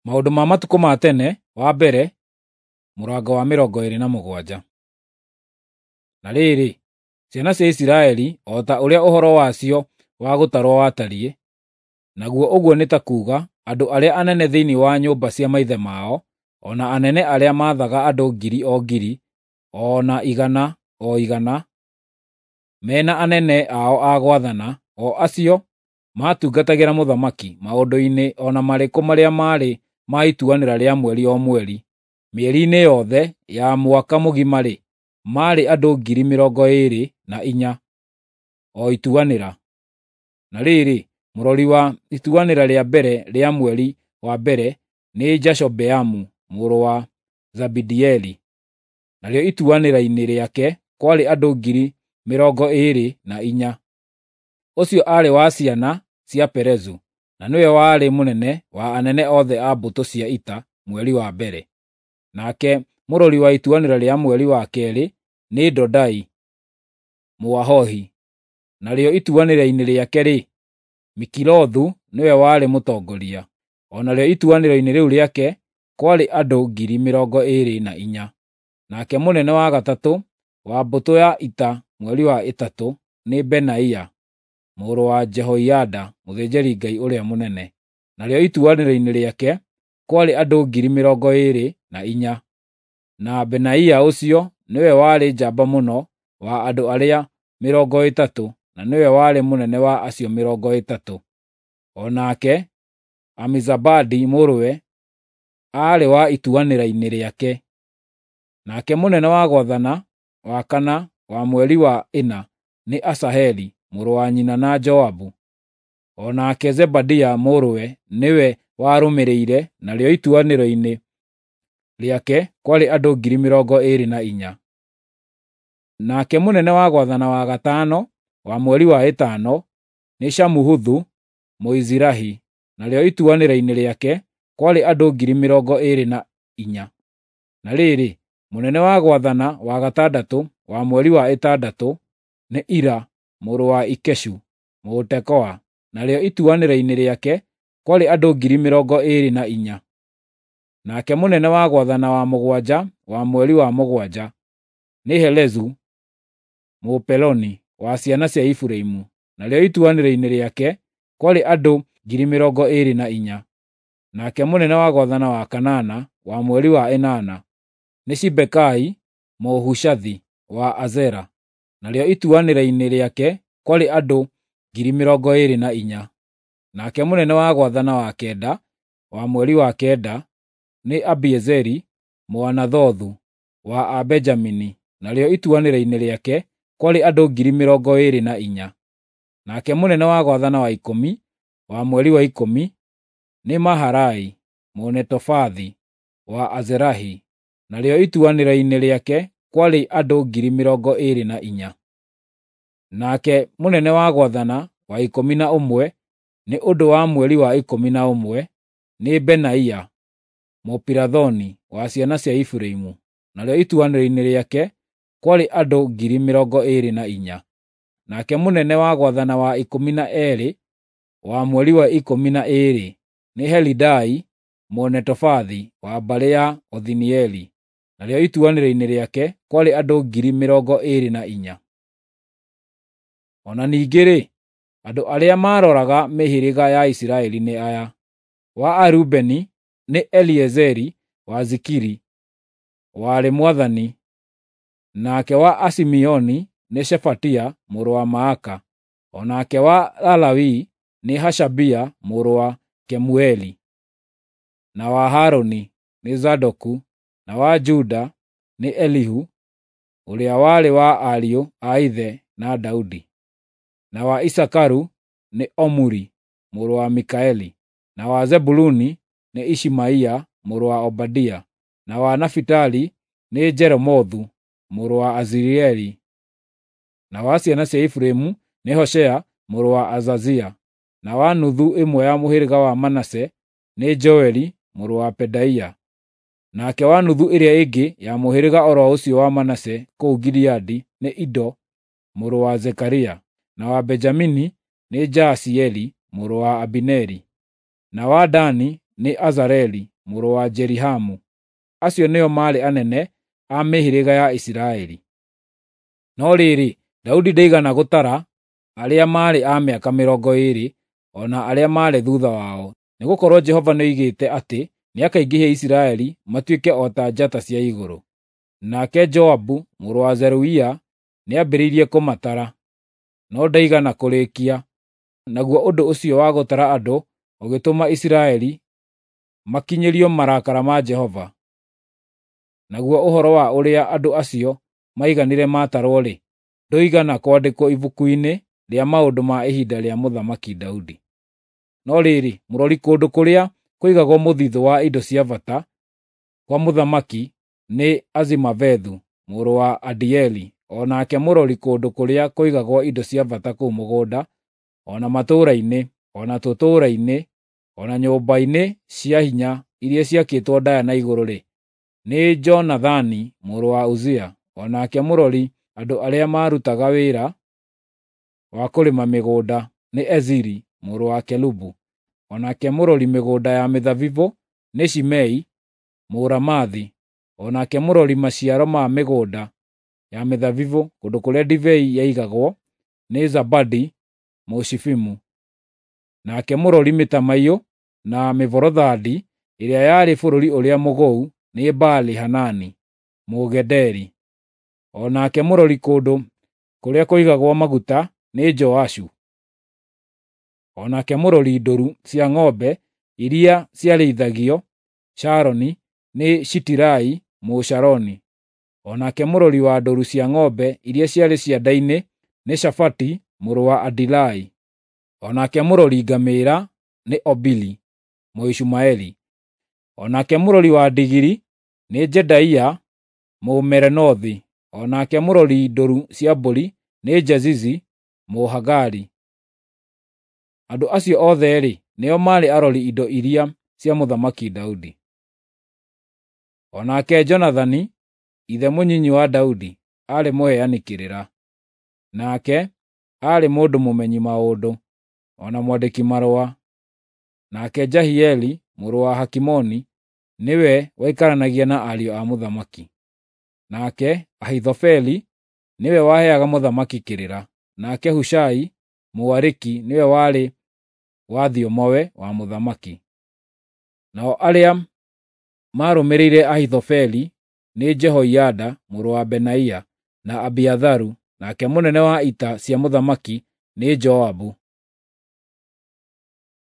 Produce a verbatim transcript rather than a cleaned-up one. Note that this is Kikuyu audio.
Maũndũ ma matukũ ma tene wa mbere, mũrango wa mĩrongo ĩĩrĩ na mũgwanja. Na rĩrĩ, ciana cia Isiraeli o ta ũrĩa ũhoro wacio wa gũtarwo watariĩ, naguo ũguo nĩ ta kuuga andũ arĩa anene thĩinĩ wa nyũmba cia maithe mao, o na anene arĩa maathaga andũ ngiri o ngiri, o na igana o igana, me na anene ao a gwathana, o acio maatungatagĩra mũthamaki maũndũ-inĩ o na marĩkũ marĩa maarĩ ma ituanĩra rĩa mweri o mweri, mĩeri-inĩ yothe ya mwaka mũgima-rĩ, maarĩ andũ ngiri mĩrongo ĩĩrĩ na inya o ituanĩra. Na rĩrĩ, mũrori wa ituanĩra rĩa mbere rĩa mweri wa mbere nĩ Jashobeamu mũrũ wa Zabidieli, narĩo ituanĩra-inĩ rĩake kwarĩ andũ ngiri mĩrongo ĩĩrĩ na inya. Ũcio aarĩ wa ciana cia Perezu, na nĩwe warĩ mũnene wa anene othe a mbũtũ cia ita mweri wa mbere. Nake mũrori wa ituanĩra rĩa mweri wa keerĩ nĩ Dodai Mũahohi, narĩo ituanĩra-inĩ rĩake-rĩ, Mikilothu nĩwe warĩ mũtongoria. O narĩo ituanĩra-inĩ rĩu rĩake kwarĩ andũ ngiri mĩrongo ĩĩrĩ na inya. Nake mũnene wa gatatũ wa mbũtũ ya ita mweri wa ĩtatũ nĩ Benaia mũrũ wa Jehoiada mũthĩnjĩri-Ngai ũrĩa mũnene, narĩo ituanĩra-inĩ rĩake kwarĩ andũ ngiri mĩrongo ĩĩrĩ na inya. Na Benaia ũcio nĩwe warĩ njamba mũno wa andũ arĩa mĩrongo ĩtatũ, na nĩwe warĩ mũnene wa acio mĩrongo ĩtatũ. O nake Amizabadi mũrũwe aarĩ wa ituanĩra-inĩ rĩake. Nake mũnene wa gwathana wa kana wa mweri wa ĩna nĩ Asaheli mũrũ wa nyina na Joabu. O nake Zebadia mũrũwe nĩwe warũmĩrĩire, narĩo ituanĩro-inĩ rĩake kwarĩ andũ ngiri mĩrongo ĩĩrĩ na inya. Nake mũnene wa gwathana wa gatano wa mweri wa ĩtano nĩ Shamuhuthu Mũizirahi, narĩo ituanĩra-inĩ rĩake kwarĩ andũ ngiri mĩrongo ĩĩrĩ na inya. Na rĩrĩ, mũnene wa gwathana wa gatandatũ wa mweri wa ĩtandatũ nĩ Ira mũrũ wa Ikeshu Mũtekoa, narĩo ituanĩra-inĩ rĩake kwarĩ andũ ngiri mĩrongo ĩĩrĩ na inya. Nake mũnene wa gwathana wa mũgwanja wa mweri wa mũgwanja nĩ Helezu Mũpeloni wa ciana cia Efiraimu, narĩo ituanĩra-inĩ rĩake kwarĩ andũ ngiri mĩrongo ĩĩrĩ na inya. Nake mũnene wa gwathana wa kanana wa mweri wa ĩnana nĩ Sibekai Mũhushathi wa Azera, narĩo ituanĩra-inĩ rĩake kwarĩ andũ ngiri mĩrongo ĩĩrĩ na inya. Nake mũnene wa gwathana wa kenda wa mweri wa kenda nĩ Abiezeri Mũanathothu wa Abenjamini, narĩo ituanĩra-inĩ rĩake kwarĩ andũ ngiri mĩrongo ĩĩrĩ na inya. Nake mũnene wa gwathana wa ikũmi wa mweri wa ikũmi nĩ Maharai Mũnetofathi wa Azerahi, narĩo ituanĩra-inĩ rĩake kwarĩ andũ ngiri mĩrongo ĩĩrĩ na inya. Nake mũnene wa gwathana wa ikũmi na ũmwe nĩ ũndũ wa mweri wa ikũmi na ũmwe nĩ Benaia Mũpirathoni wa ciana cia Efiraimu, narĩo ituanĩra-inĩ rĩake kwarĩ andũ ngiri mĩrongo ĩĩrĩ na inya. Nake mũnene wa gwathana wa ikũmi na eerĩ wa mweri wa ikũmi na ĩĩrĩ nĩ Helidai Mũnetofathi wa mbarĩ ya Othinieli, narĩo ituanĩra-inĩ rĩake kwarĩ andũ ngiri mĩrongo ĩĩrĩ na inya. O na ningĩ-rĩ, andũ arĩa maaroraga mĩhĩrĩga ya Isiraeli nĩ aya: wa Arubeni nĩ Eliezeri wa Zikiri warĩ mwathani, nake wa Asimeoni nĩ Shefatia mũrũ wa Maaka, o nake wa Alawii nĩ Hashabia mũrũ wa Kemueli, na wa Harũni nĩ Zadoku, na wa Juda nĩ Elihu ũrĩa warĩ wa ariũ a ithe na Daudi, na wa Isakaru nĩ Omuri mũrũ wa Mikaeli, na wa Zebuluni nĩ Ishimaia mũrũ wa Obadia, na wa Nafitali nĩ Jeremothu mũrũ wa Azirieli, na wa ciana cia Efiraimu nĩ Hoshea mũrũ wa Azazia, na wa nuthu ĩmwe ya mũhĩrĩga wa Manase nĩ Joeli mũrũ wa Pedaia. Nake wa nuthu ĩrĩa ĩngĩ ya mũhĩrĩga o ro ũcio wa Manase kũu Gileadi nĩ Ido mũrũ wa Zekaria, na wa Benjamini nĩ Jaasieli mũrũ wa Abineri, na wa Dani nĩ Azareli mũrũ wa Jerihamu. Acio nĩo maarĩ anene a mĩhĩrĩga ya Isiraeli. No rĩrĩ, Daudi ndaigana gũtara arĩa maarĩ a mĩaka mĩrongo ĩĩrĩ, o na arĩa maarĩ thuutha wao, nĩgũkorwo Jehova nĩoigĩte atĩ nĩakaingĩhia Isiraeli matuĩke o ta njata cia igũrũ. Nake Joabu mũrũ wa Zeruia nĩambĩrĩirie kũmatara, no ndaigana kũrĩkia. Naguo ũndũ ũcio wa gũtara andũ ũgĩtũma Isiraeli makinyĩrio marakara ma Jehova. Naguo ũhoro wa ũrĩa andũ acio maiganire maatarwo-rĩ, ndũigana kwandĩkwo ibuku-inĩ rĩa maũndũ ma ihinda rĩa Mũthamaki Daudi. No rĩrĩ, mũrori kũndũ kũrĩa kũigagwo mũthithũ wa indo cia bata kwa mũthamaki nĩ Azimavethu mũrũ wa Adieli, o nake mũrori kũndũ kũrĩa kũigagwo indo cia bata kũu mũgũnda, o na matũũra-inĩ, o na tũtũũra-inĩ, o na nyũmba-inĩ cia hinya iria ciakĩtwo ndaaya na igũrũ-rĩ, nĩ Jonathani mũrũ wa Uzia, o nake mũrori andũ arĩa maarutaga wĩra wa kũrĩma mĩgũnda nĩ Eziri mũrũ wa Kelubu, o nake mũrori mĩgũnda ya mĩthabibũ nĩ Shimei Mũramathi, o nake mũrori maciaro ma mĩgũnda ya mĩthabibũ kũndũ kũrĩa ndibei yaigagwo nĩ Zabadi Mũshifimu, nake mũrori mĩtamaiyũ na mĩborothandi ĩrĩa yarĩ bũrũri ũrĩa mũgũu nĩ Baali-Hanani Mũgederi, o nake mũrori kũndũ kũrĩa kũigagwo maguta nĩ Joashu, o nake mũrori ndũru cia ng'ombe iria ciarĩithagio Sharoni nĩ Shitirai Mũsharoni, o nake mũrori wa ndũru cia ng'ombe iria ciarĩ cianda-inĩ nĩ Shafati mũrũ wa Adilai, o nake mũrori ngamĩĩra nĩ Obili Mũishumaeli, o nake mũrori wa ndigiri nĩ Jedaia Mũmerenothi, o nake mũrori ndũru cia mbũri nĩ Jezizi Mũhagari. Andũ acio othe-rĩ, nĩo maarĩ arori indo iria cia Mũthamaki Daudi. O nake Jonathani, ithe mũnyinyi wa Daudi, aarĩ mũheani kĩrĩra. Nake aarĩ mũndũ mũmenyi maũndũ, o na mwandĩki marũa. Nake Jahieli mũrũ wa Hakimoni nĩwe waikaranagia na ariũ a mũthamaki. Nake Ahithofeli nĩwe waheaga mũthamaki kĩrĩra. Nake Hushai Mũariki nĩwe warĩ wa thiomowe wa mũthamaki. Nao arĩa maarũmĩrĩire Ahithofeli nĩ Jehoiada mũrũ wa Benaia na Abiatharu, nake mũnene wa ita cia mũthamaki nĩ Joabu.